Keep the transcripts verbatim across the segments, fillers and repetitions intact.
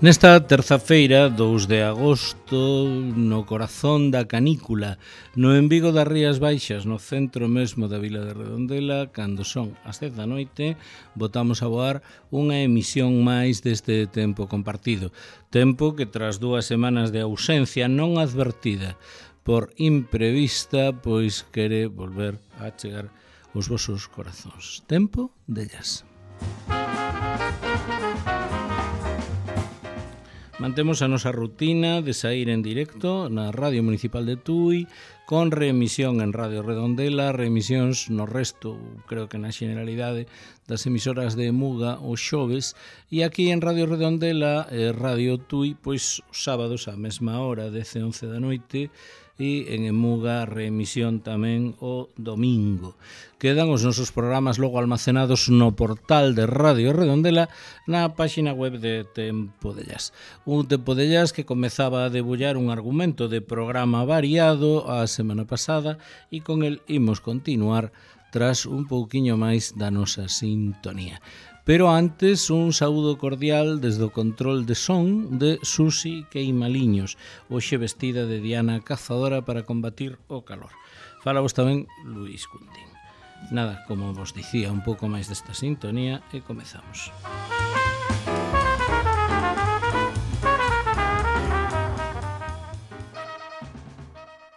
Nesta terza-feira, dous de agosto, no corazón da canícula, no en Vigo das Rías Baixas, no centro mesmo da vila de Redondela, cando son as dez da noite, botamos a voar unha emisión máis deste tempo compartido. Tempo que tras dúas semanas de ausencia non advertida por imprevista, pois quere volver a chegar os vosos corazóns. Tempo de jazz. Mantemos a nosa rutina de saír en directo na Radio Municipal de Tui, con reemisión en Radio Redondela, reemisións no resto, creo que na generalidade, das emisoras de Muga os xoves, e aquí en Radio Redondela, eh, Radio Tui, pois os sábados á mesma hora, dez e once da noite, e en Emuga reemisión tamén o domingo. Quedan os nosos programas logo almacenados no portal de Radio Redondela na páxina web de Tempo de Jazz. Un Tempo de Jazz que comezaba a debullar un argumento de programa variado a semana pasada e con el imos continuar tras un pouquiño máis da nosa sintonía. Pero antes, un saúdo cordial desde o control de son de Susi Queimaliños, hoxe vestida de Diana Cazadora para combatir o calor. Fala vos tamén Luís Cuntín. Nada, como vos dicía, un pouco máis desta sintonía e comezamos.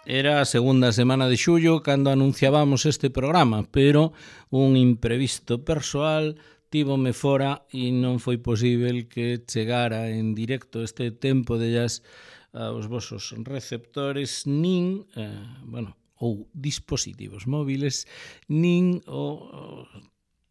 Era a segunda semana de xullo cando anunciábamos este programa, pero un imprevisto persoal tívome fora e non foi posível que chegara en directo este Tempo de Jazz aos vosos receptores nin, eh, bueno, ou dispositivos móviles, nin o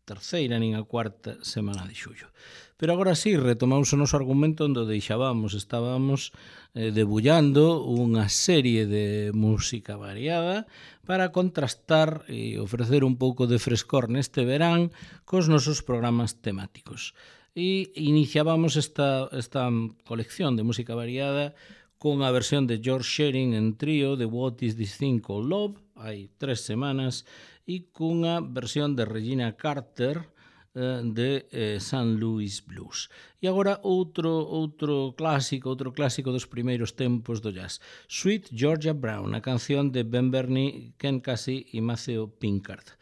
terceira nin a cuarta semana de xullo. Pero agora sí, retomamos o noso argumento onde deixábamos, estábamos eh, debullando unha serie de música variada para contrastar e ofrecer un pouco de frescor neste verán cos nosos programas temáticos. E iniciábamos esta, esta colección de música variada con a versión de George Shearing en trío de What Is This Thing Called Love, hai tres semanas, e cunha versión de Regina Carter de eh, Saint Louis Blues. E agora outro outro clásico, outro clásico dos primeiros tempos do jazz, Sweet Georgia Brown, a canción de Ben Bernie, Ken Casey e Maceo Pinkard.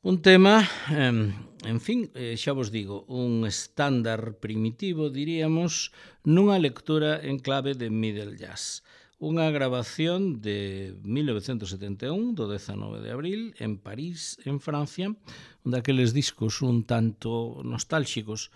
Un tema, eh, en fin, eh, xa vos digo, un estándar primitivo, diríamos, nunha lectura en clave de middle jazz. Unha grabación de mil novecentos setenta e un, do dezanove de abril, en París, en Francia, un daqueles discos un tanto nostálxicos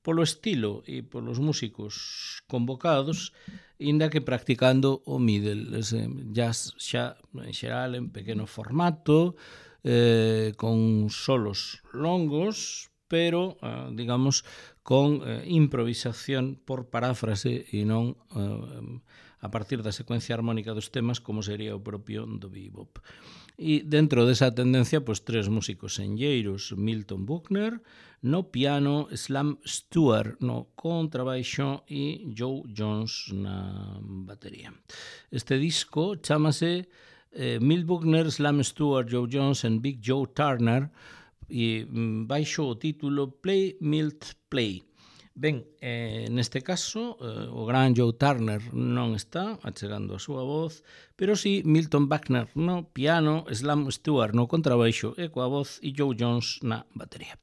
polo estilo e polos músicos convocados, inda que practicando o middle, ese jazz xa en xeral en pequeno formato, eh, con solos longos, pero, eh, digamos, con eh, improvisación por paráfrase e non eh, a partir da secuencia armónica dos temas como sería o propio do bebop. E dentro desa tendencia, pois tres músicos enlleiros, Milton Buckner no piano, Slam Stewart no contrabaixo e Joe Jones na batería. Este disco chamase eh, Milt Buckner, Slam Stewart, Joe Jones and Big Joe Turner e baixo o título Play Milt Play. Ben, eh, neste caso, eh, o gran Joe Turner non está achegando a súa voz, pero sí Milton Buckner no piano, Slam Stewart no contrabaixo e coa voz e Joe Jones na batería.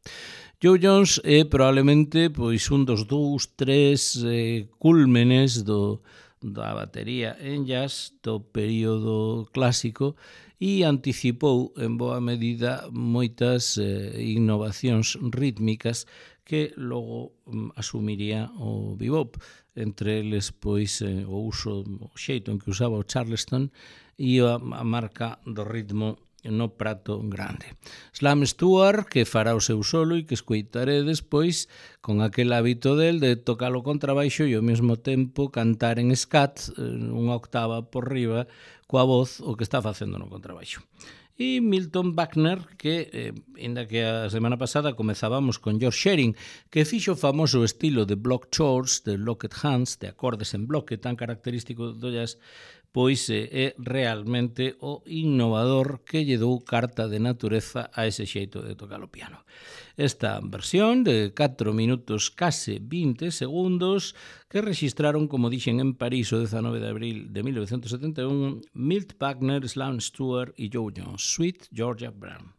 Joe Jones é probablemente pois un dos dous, tres eh, cúlmenes do, da batería en jazz do período clásico e anticipou en boa medida moitas eh, innovacións rítmicas que logo um, asumiría o bebop, entre eles pois eh, o uso, o xeito en que usaba o Charleston e a, a marca do ritmo no prato grande. Slam Stewart, que fará o seu solo e que escoitaré despois con aquel hábito del de tocar o contrabaixo e ao mesmo tempo cantar en scat, unha octava por riba, coa voz o que está facendo no contrabaixo. E Milton Buckner, que, eh, ainda que a semana pasada comezábamos con George Shearing, que fixo o famoso estilo de block chords, de locked hands, de acordes en bloque tan característico do jazz, pois é realmente o innovador que lle dou carta de natureza a ese xeito de tocar o piano. Esta versión de catro minutos case vinte segundos que registraron, como dixen, en París o dezanove de abril de mil novecientos setenta e un Milt Wagner, Sloan Stewart e Joe Jones, Sweet Georgia Brown.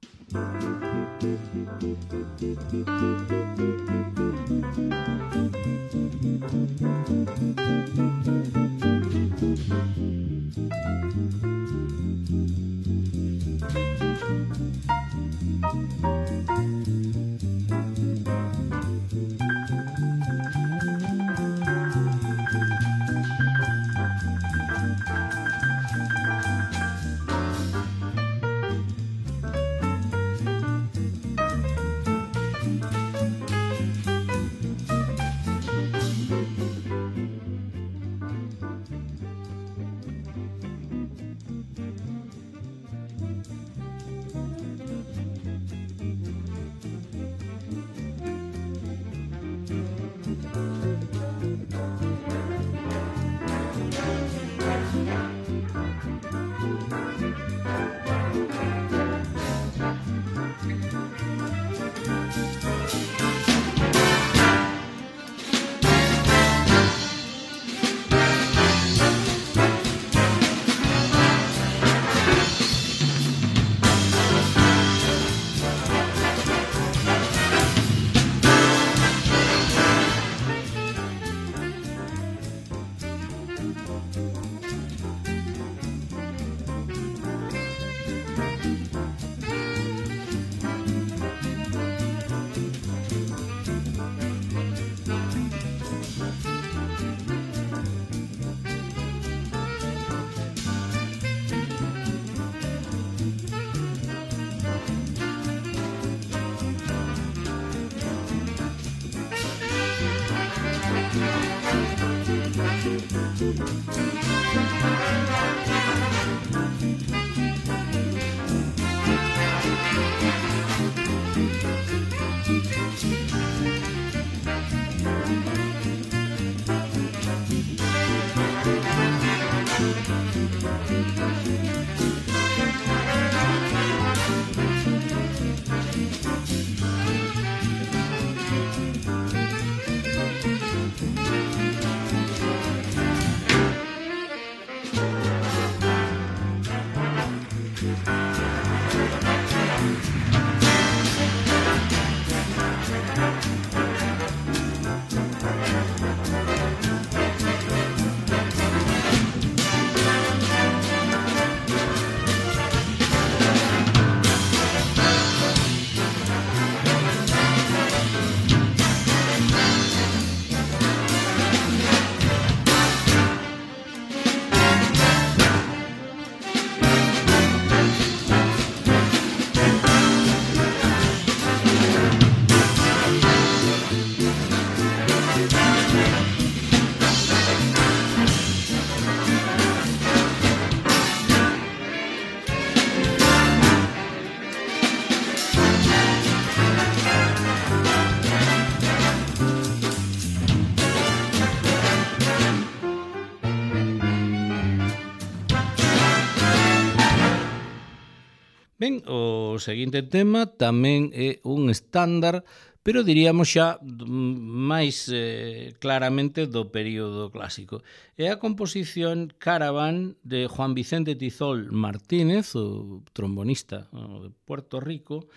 Ben, o seguinte tema tamén é un estándar, pero diríamos xa máis eh, claramente do período clásico. É a composición Caravan de Juan Vicente Tizol Martínez, o trombonista de Puerto Rico,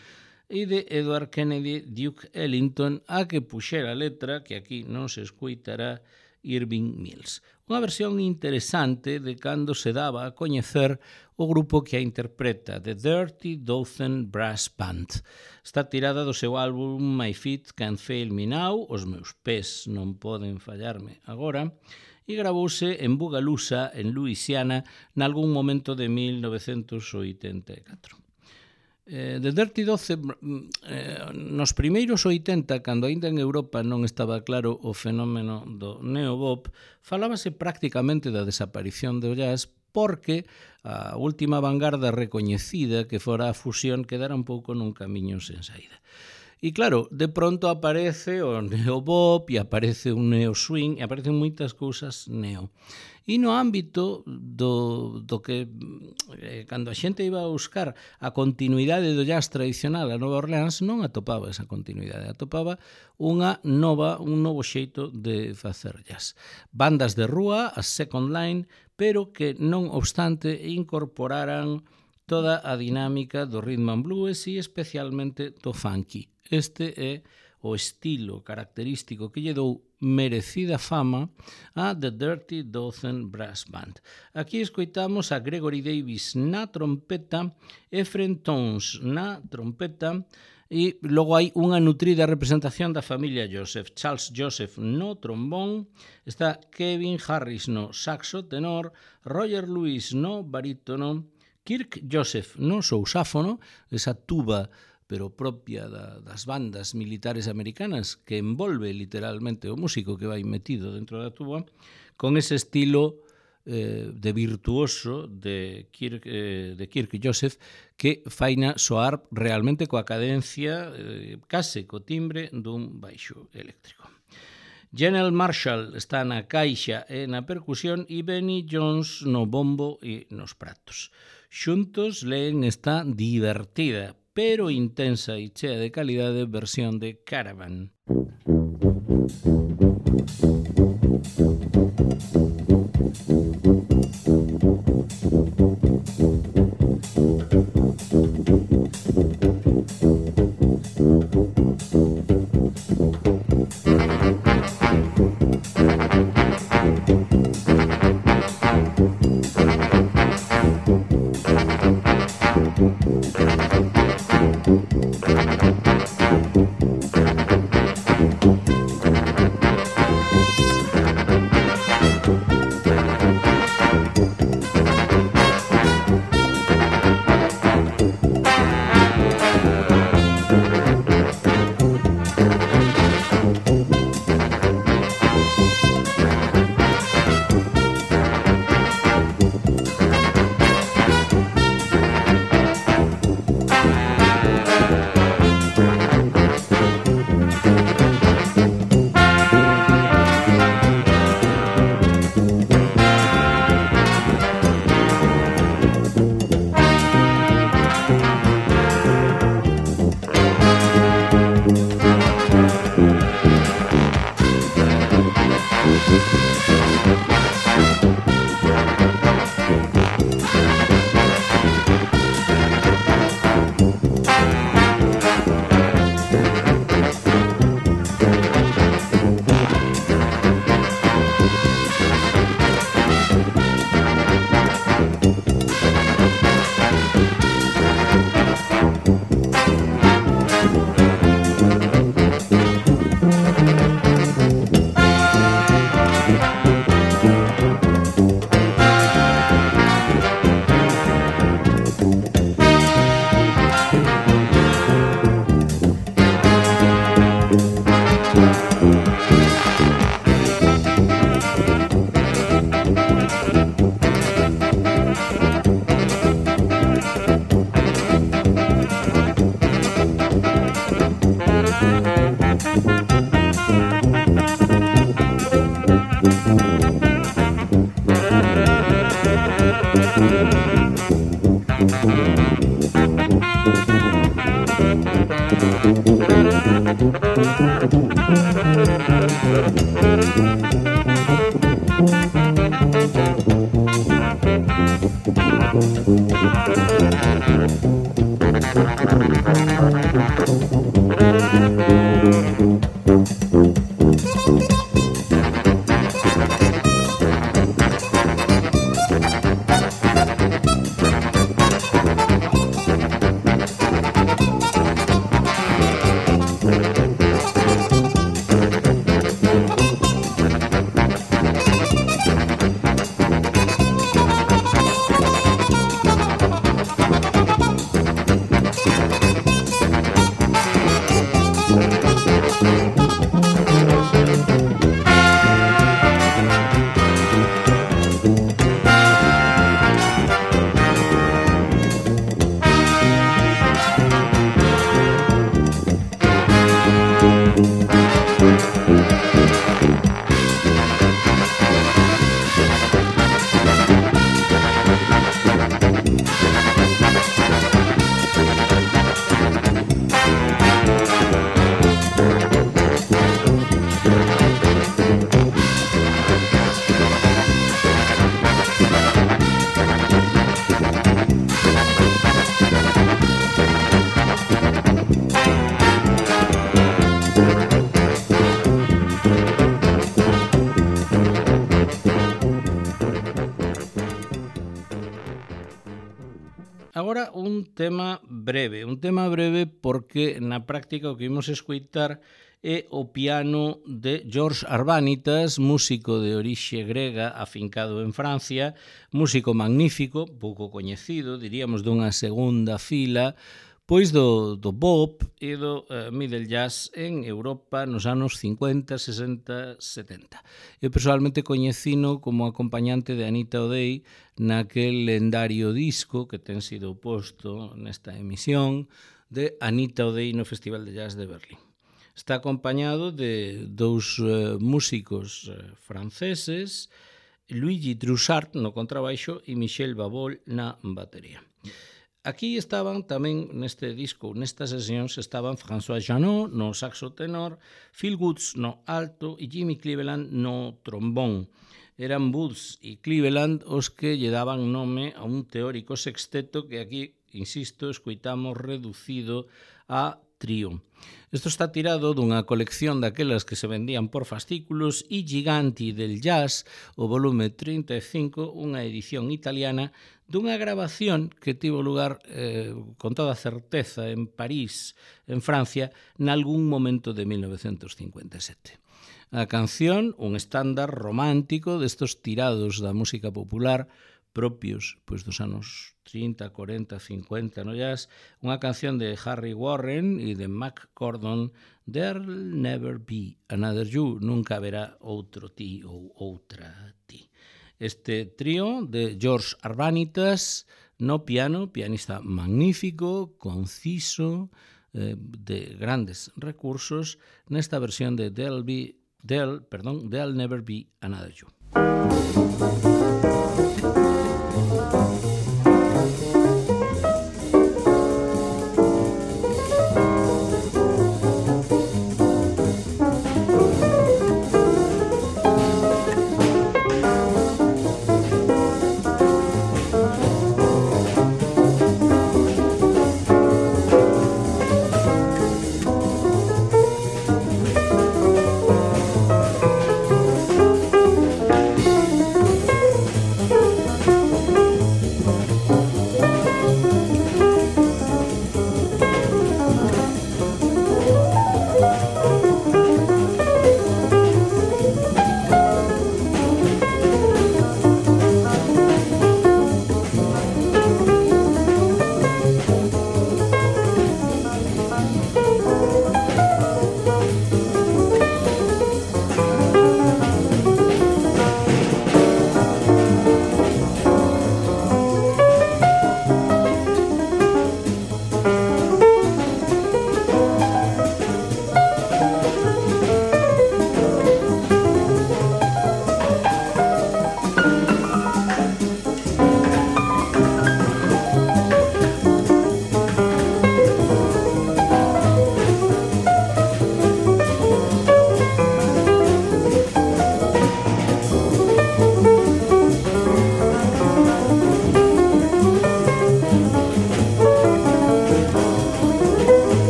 e de Edward Kennedy Duke Ellington, a que puxera a letra, que aquí non se escoitará, Irving Mills. Unha versión interesante de cando se daba a coñecer o grupo que a interpreta, The Dirty Dozen Brass Band. Está tirada do seu álbum My Feet Can't Fail Me Now, Os meus pés non poden fallarme agora, e gravouse en Bogalusa, en Louisiana, nalgún momento de mil novecentos oitenta e catro. Eh, The Dirty Dozen, eh, nos primeiros oitenta, cando aínda en Europa non estaba claro o fenómeno do neobop, falábase prácticamente da desaparición do jazz porque a última vanguarda recoñecida que fora a fusión quedara un pouco nun camiño sen saída. E claro, de pronto aparece o neobop e aparece un neo swing e aparecen moitas cousas neo. E no ámbito do, do que eh, cando a xente iba a buscar a continuidade do jazz tradicional a Nova Orleans non atopaba esa continuidade, atopaba unha nova, un novo xeito de facer jazz. Bandas de rúa, a Second Line, pero que non obstante incorporaran toda a dinámica do rhythm and blues e especialmente do funky. Este é o estilo característico que lle dou merecida fama a The Dirty Dozen Brass Band. Aquí escoitamos a Gregory Davis na trompeta, Ephraim Towns na trompeta, e logo hai unha nutrida representación da familia Joseph. Charles Joseph no trombón, está Kevin Harris no saxo tenor, Roger Lewis no barítono, Kirk Joseph no sousáfono, esa tuba pero propia da, das bandas militares americanas que envolve literalmente o músico que vai metido dentro da tuba, con ese estilo eh, de virtuoso de Kirk, eh, de Kirk Joseph que faina soar realmente coa cadencia, eh, case co timbre dun baixo eléctrico. General Marshall está na caixa e na percusión e Benny Jones no bombo e nos pratos. Xuntos leen esta divertida, pero intensa e chea de calidade versión de Caravan. agora un tema breve, un tema breve porque na práctica o que imos escoitar é o piano de George Arbanitas, músico de orixe grega afincado en Francia, músico magnífico, pouco coñecido, diríamos dunha segunda fila, pois do, do bop e do uh, middle jazz en Europa nos anos cincuenta, sesenta, setenta. Eu personalmente coñecino como acompañante de Anita O'Day naquel lendario disco que ten sido posto nesta emisión de Anita O'Day no Festival de Jazz de Berlín. Está acompañado de dous uh, músicos uh, franceses, Luigi Troussard no contrabaixo e Michel Babol na batería. Aquí estaban tamén neste disco, nestas sesións, estaban François Janot no saxo tenor, Phil Woods no alto e Jimmy Cleveland no trombón. Eran Woods e Cleveland os que lle daban nome a un teórico sexteto que aquí, insisto, escoitamos reducido a trío. Isto está tirado dunha colección daquelas que se vendían por fascículos e Giganti del Jazz, o volume trinta e cinco, unha edición italiana dunha grabación que tivo lugar eh, con toda certeza en París, en Francia, nalgún momento de mil novecentos cincuenta e sete. A canción, un estándar romántico destos tirados da música popular propios pois dos anos trinta, cuarenta, cincuenta no jazz, unha canción de Harry Warren e de Mac Gordon, There'll Never Be Another You, nunca haberá outro ti ou outra ti. Este trío de George Arbanitas no piano, pianista magnífico, conciso, eh, de grandes recursos, nesta versión de There'll, be, There'll, perdón, There'll Never Be Another You.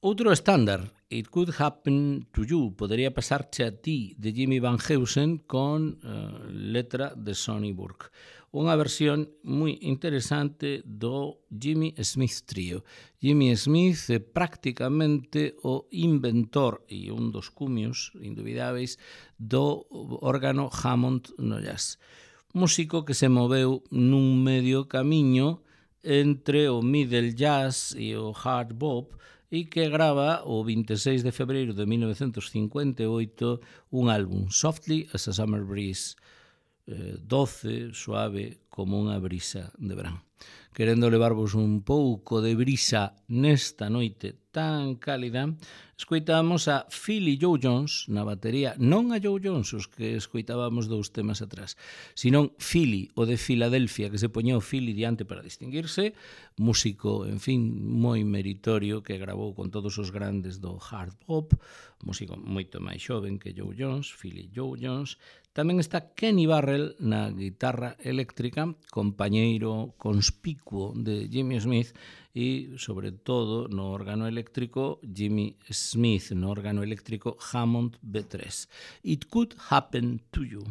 Outro estándar, It Could Happen to You, podería pasarche a ti, de Jimmy Van Heusen, con uh, letra de Sonny Burke. Unha versión moi interesante do Jimmy Smith Trio. Jimmy Smith é prácticamente o inventor e un dos cumios indubidáveis do órgano Hammond no jazz. Músico que se moveu nun medio camiño entre o middle jazz e o hard bop e que grava o vinte e seis de febreiro de mil novecientos cincuenta e oito un álbum, Softly as a Summer Breeze, eh, doce, suave, como unha brisa de verán. Querendo levarvos un pouco de brisa nesta noite tan cálida, escoitamos a Philly Joe Jones na batería, non a Joe Jones, os que escoitábamos dous temas atrás, senón Philly, o de Filadelfia, que se poñeu Philly diante para distinguirse, músico, en fin, moi meritorio, que gravou con todos os grandes do hard bop, músico moito máis xoven que Joe Jones, Philly Joe Jones. Tamén está Kenny Barrell na guitarra eléctrica, compañeiro conspicuo de Jimmy Smith, e, sobre todo, no órgano eléctrico, Jimmy Smith, no órgano eléctrico Hammond B tres. It Could Happen to You.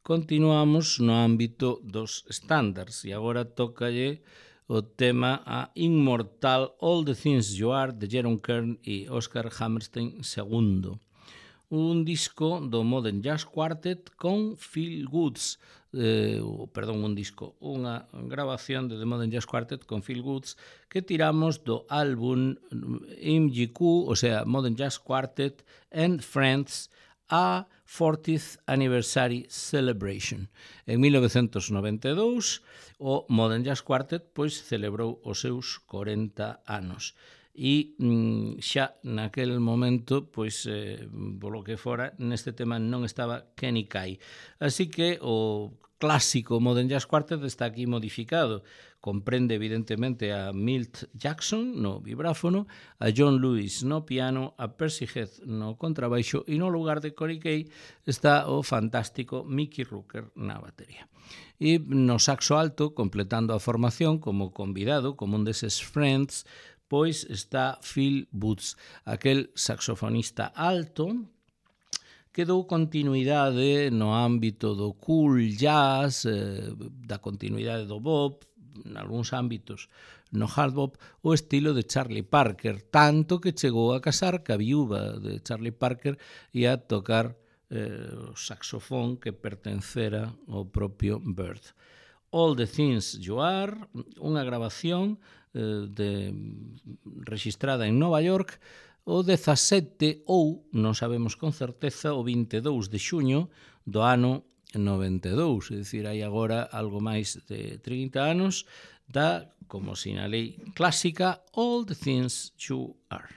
Continuamos no ámbito dos estándares e agora tócalle o tema a Inmortal All the Things You Are de Jerome Kern e Oscar Hammerstein segundo. Un disco do Modern Jazz Quartet con Phil Woods, eh, perdón, un disco, unha grabación de The Modern Jazz Quartet con Phil Woods que tiramos do álbum M G Q, o sea, Modern Jazz Quartet and Friends, a fortieth Anniversary Celebration. En mil novecentos noventa e dous, o Modern Jazz Quartet pois celebrou os seus corenta anos. E mm, xa naquel momento, pois, eh, polo que fora, neste tema non estaba Kenny Kay. Así que o clásico Modern Jazz Quartet está aquí modificado. Comprende evidentemente a Milt Jackson no vibráfono, a John Lewis no piano, a Percy Heath no contrabaixo e no lugar de Corey Kay está o fantástico Mickey Rooker na batería. E no saxo alto, completando a formación como convidado, como un deses friends, pois está Phil Woods, aquel saxofonista alto que dou continuidade no ámbito do cool jazz, eh, da continuidade do bop, en algúns ámbitos no hard bop, o estilo de Charlie Parker, tanto que chegou a casar ca viúva de Charlie Parker e a tocar eh, o saxofón que pertencera ao propio Bird. All the Things You Are, unha grabación eh, de, registrada en Nova York o dezasete ou, non sabemos con certeza, o vinte e dous de xuño do ano noventa e dous, é dicir, hai agora algo máis de trinta anos da, como sinalei, clásica All the Things You Are.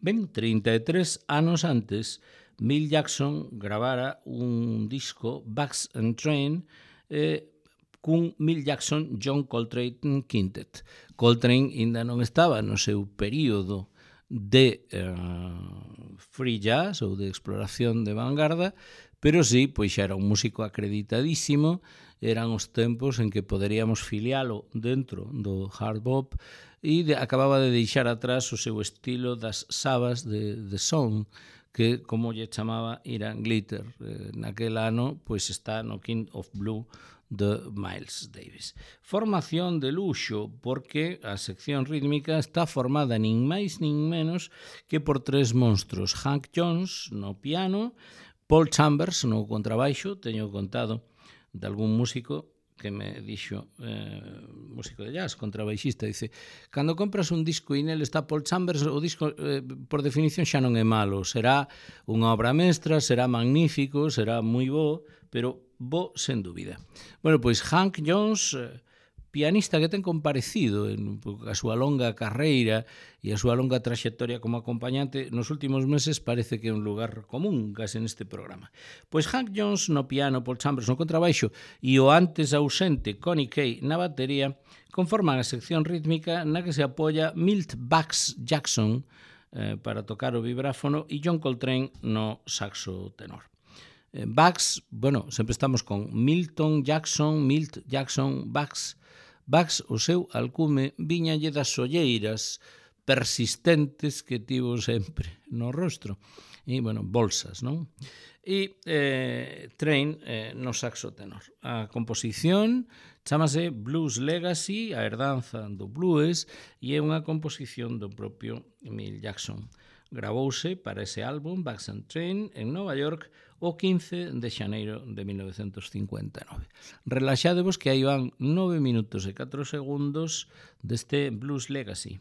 Ben, trinta e tres anos antes, Milt Jackson gravara un disco, Bags and Train, eh, cun Milt Jackson John Coltrane Quintet. Coltrane ainda non estaba no seu período de eh, free jazz ou de exploración de vanguarda, pero sí, pois xa era un músico acreditadísimo, eran os tempos en que poderíamos filialo dentro do hard bop e de, acababa de deixar atrás o seu estilo das sabas de, de son, que, como lle chamaba, Iran Glitter. Eh, naquel ano, pois está no King of Blue de Miles Davis. Formación de luxo, porque a sección rítmica está formada nin máis nin menos que por tres monstros. Hank Jones no piano, Paul Chambers no contrabaixo, teño contado de algún músico que me dixo, eh, músico de jazz, contrabaixista, dice, cando compras un disco e nel está Paul Chambers, o disco, eh, por definición, xa non é malo, será unha obra mestra, será magnífico, será moi bo, pero bo sen dúbida. Bueno, pois Hank Jones, eh, pianista que ten comparecido en a súa longa carreira e a súa longa traxectoria como acompañante, nos últimos meses parece que é un lugar común case neste programa. Pois Hank Jones no piano, Paul Chambers no contrabaixo e o antes ausente Connie Kay na batería conforman a sección rítmica na que se apoia Milt Bags Jackson eh, para tocar o vibráfono e John Coltrane no saxo tenor. Eh, Bags, bueno, sempre estamos con Milton Jackson, Milt Jackson, Bags. Bags, o seu alcume, viñalle das olleiras persistentes que tivo sempre no rostro. E, bueno, bolsas, non? E eh, Train eh, no saxo tenor. A composición chamase Blues Legacy, a herdanza do blues, e é unha composición do propio Milt Jackson. Gravouse para ese álbum, Bags and Train, en Nova York, o quince de xaneiro de mil novecentos cincuenta e nove. Relaxadevos que aí van nove minutos e catro segundos deste Blues Legacy.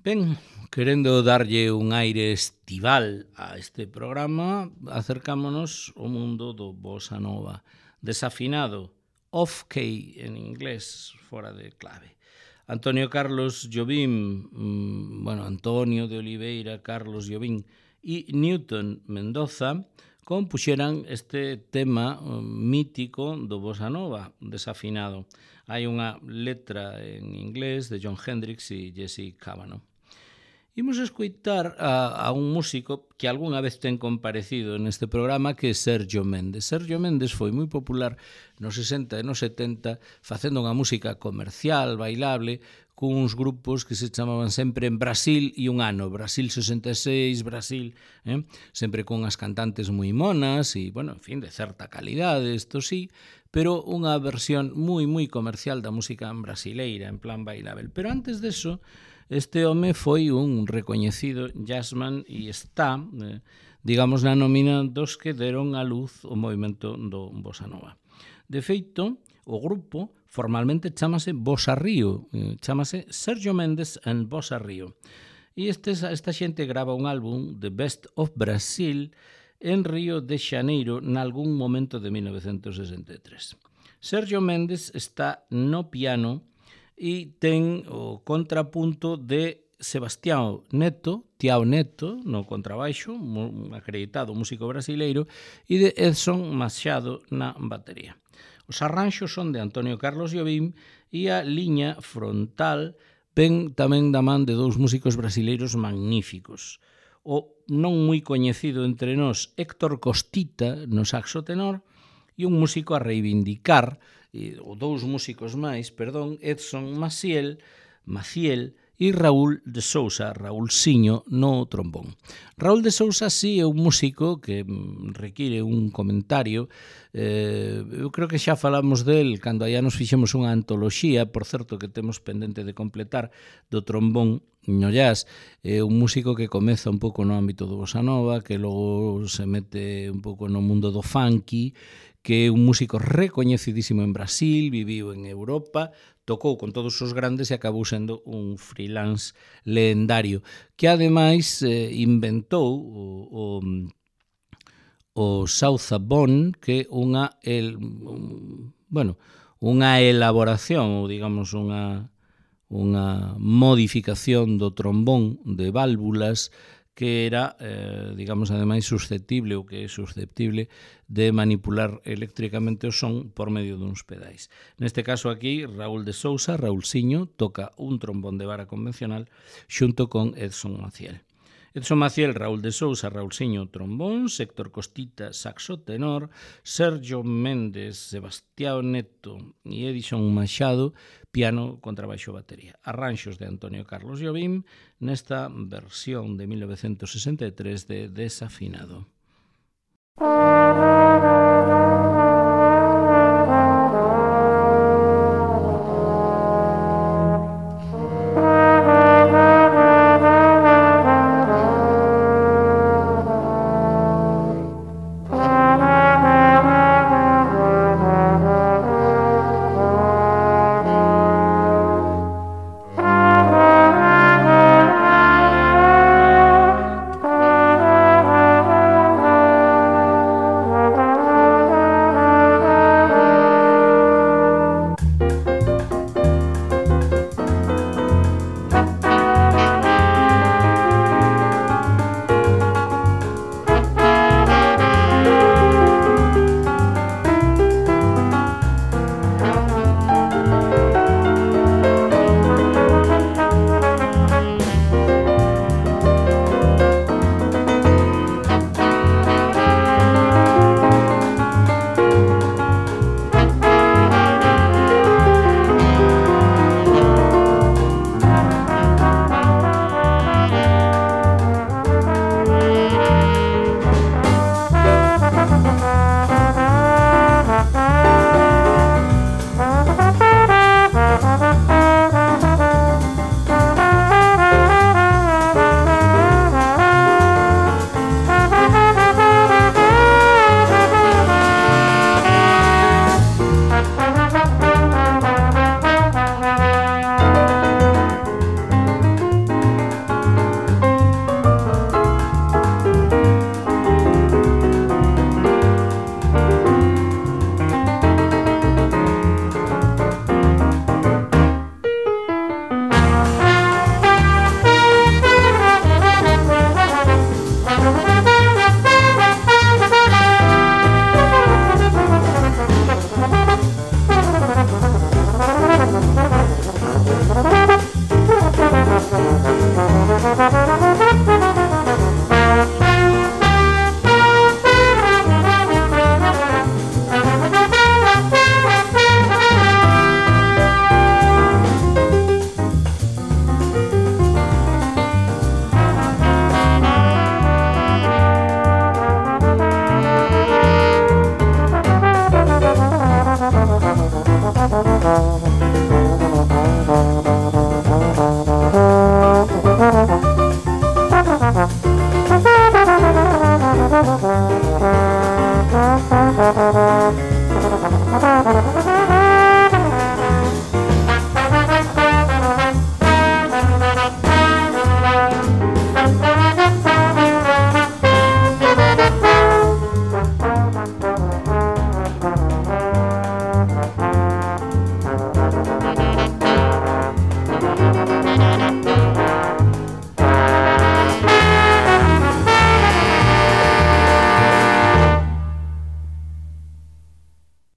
Ben, querendo darlle un aire estival a este programa, acercámonos ao mundo do bossa nova, desafinado, off-key en inglés, fora de clave. Antonio Carlos Jobim, mmm, bueno, Antonio de Oliveira, Carlos Jobim e Newton Mendoza compuxeran este tema um, mítico do bossa nova, desafinado. Hai unha letra en inglés de John Hendricks e Jesse Cavanaugh. Imos escoitar a, a un músico que algunha vez ten comparecido neste programa, que é Sergio Méndez. Sergio Méndez foi moi popular nos sesenta e nos setenta facendo unha música comercial, bailable, cuns grupos que se chamaban sempre en Brasil e un ano, Brasil sesenta e seis, Brasil, eh? sempre con as cantantes moi monas e, bueno, en fin, de certa calidade, isto sí, pero unha versión moi, moi comercial da música brasileira, en plan bailable. Pero antes deso, este home foi un recoñecido jazzman e está, eh, digamos, na nómina dos que deron a luz o movimento do bossa nova. De feito, o grupo formalmente chamase Bossa Rio, eh, chamase Sergio Méndez and Bossa Rio. E este, esta xente grava un álbum, The Best of Brazil, en Río de Xaneiro, nalgún momento de mil novecentos sesenta e tres. Sergio Méndez está no piano e ten o contrapunto de Sebastião Neto, Tiao Neto, no contrabaixo, un acreditado músico brasileiro, e de Edson Machado na batería. Os arranxos son de Antonio Carlos Jobim e a liña frontal ven tamén da man de dous músicos brasileiros magníficos. O non moi coñecido entre nós Héctor Costita no saxo tenor e un músico a reivindicar, ou dous músicos máis, perdón, Edson Maciel, Maciel e Raúl de Sousa, Raúlsiño no trombón. Raúl de Sousa sí é un músico que require un comentario. Eh, eu creo que xa falamos del cando allá nos fixemos unha antoloxía, por certo que temos pendente de completar, do trombón no jazz. É un músico que comeza un pouco no ámbito do bossa nova, que logo se mete un pouco no mundo do funky, que é un músico recoñecidísimo en Brasil, viviu en Europa, tocou con todos os grandes e acabou sendo un freelance lendario, que ademais eh, inventou o, o, o Southbound, que é unha, el, un, bueno, unha elaboración, ou digamos unha, unha modificación do trombón de válvulas que era, eh, digamos, ademais susceptible ou que é susceptible de manipular eléctricamente o son por medio duns pedais. Neste caso aquí, Raúl de Sousa, Raúlsiño, toca un trombón de vara convencional xunto con Edson Maciel. Edson Maciel, Raúl de Sousa, Raúlsiño, trombón, Héctor Costita, saxo tenor, Sergio Méndez, Sebastião Neto e Edson Machado, piano, contrabaixo, batería. Arranxos de Antonio Carlos Jobim nesta versión de mil novecentos sesenta e tres de Desafinado.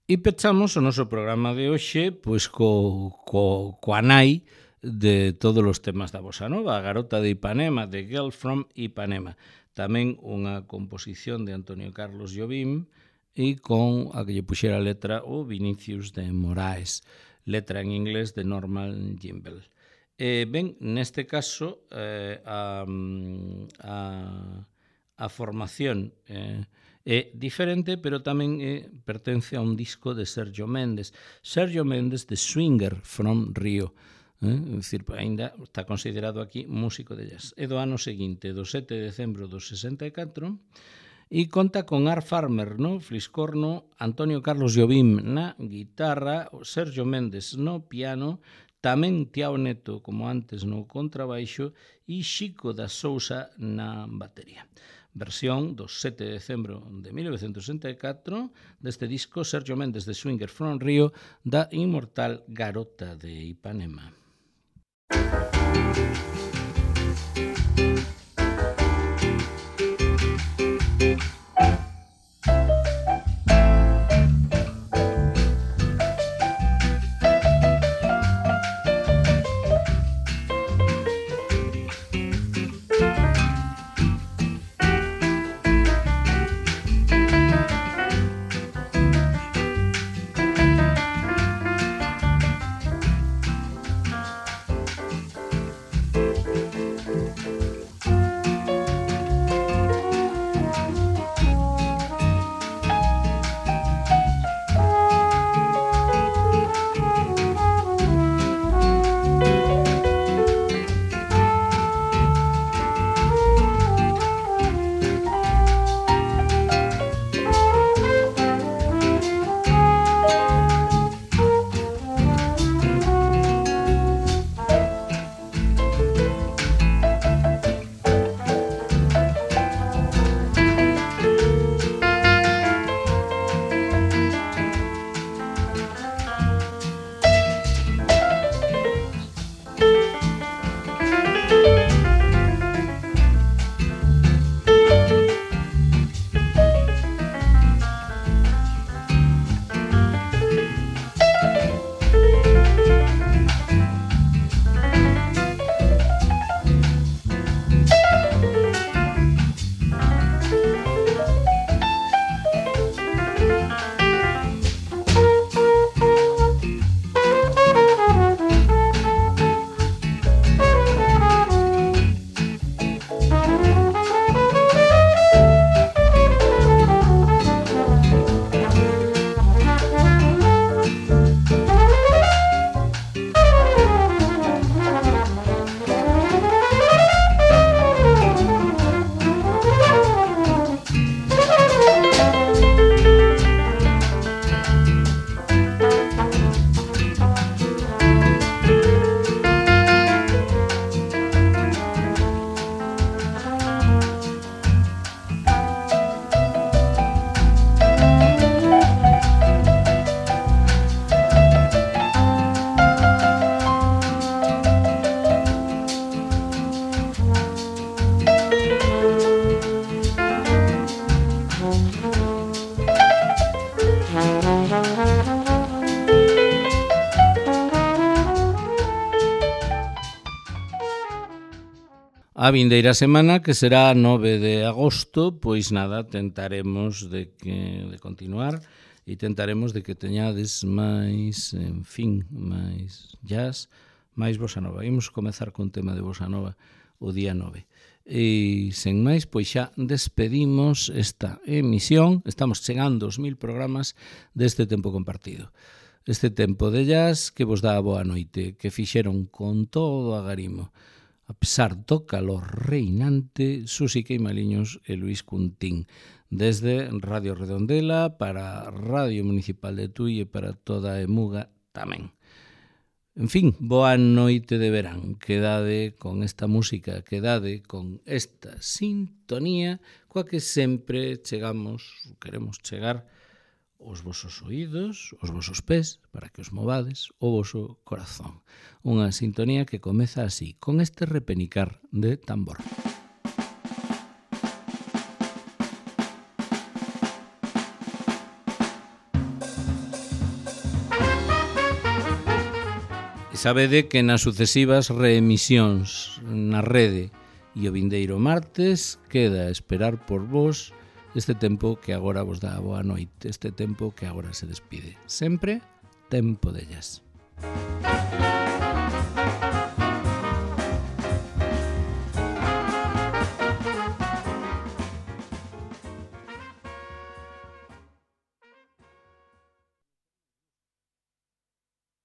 E pechamos o noso programa de hoxe pois co, co, coa nai de todos os temas da bossa nova, a Garota de Ipanema, The Girl from Ipanema. Tamén unha composición de Antonio Carlos Jobim e con a que lle puxera a letra o Vinicius de Moraes, letra en inglés de Norman Gimbel. Eh, ben, neste caso, eh, a, a, a formación eh, é diferente, pero tamén eh, pertence a un disco de Sergio Méndez. Sergio Méndez de Swinger from Rio. Eh? É dicir, ainda está considerado aquí músico de jazz. É do ano seguinte, do sete de decembro do sesenta e catro, e conta con Art Farmer no fliscorno, Antonio Carlos Jobim na guitarra, Sergio Méndez no piano, tamén Tiao Neto, como antes, no contrabaixo, e Xico da Sousa na batería. Versión do sete de decembro de mil novecentos sesenta e catro deste disco Sergio Méndez de Swinger from Rio da inmortal Garota de Ipanema. A vindeira semana, que será nove de agosto, pois nada, tentaremos de que de continuar e tentaremos de que teñades máis, en fin, máis jazz, máis bossa nova. Imos comezar con tema de bossa nova o día nove. E, sen máis, pois xa despedimos esta emisión. Estamos chegando aos mil programas deste tempo compartido. Este tempo de jazz que vos dá a boa noite, que fixeron con todo agarimo. A pesar do calor reinante, Susi Queimaliños e Luis Cuntín. Desde Radio Redondela para Radio Municipal de Tui e para toda a Emuga tamén. En fin, boa noite de verán. Quedade con esta música, quedade con esta sintonía coa que sempre chegamos, queremos chegar os vosos oídos, os vosos pés, para que os movades, o voso corazón. Unha sintonía que comeza así, con este repenicar de tambor. E sabede que nas sucesivas reemisións na rede e o vindeiro martes queda a esperar por vos este tempo que agora vos dá boa noite, este tempo que agora se despide. Sempre tempo de jazz.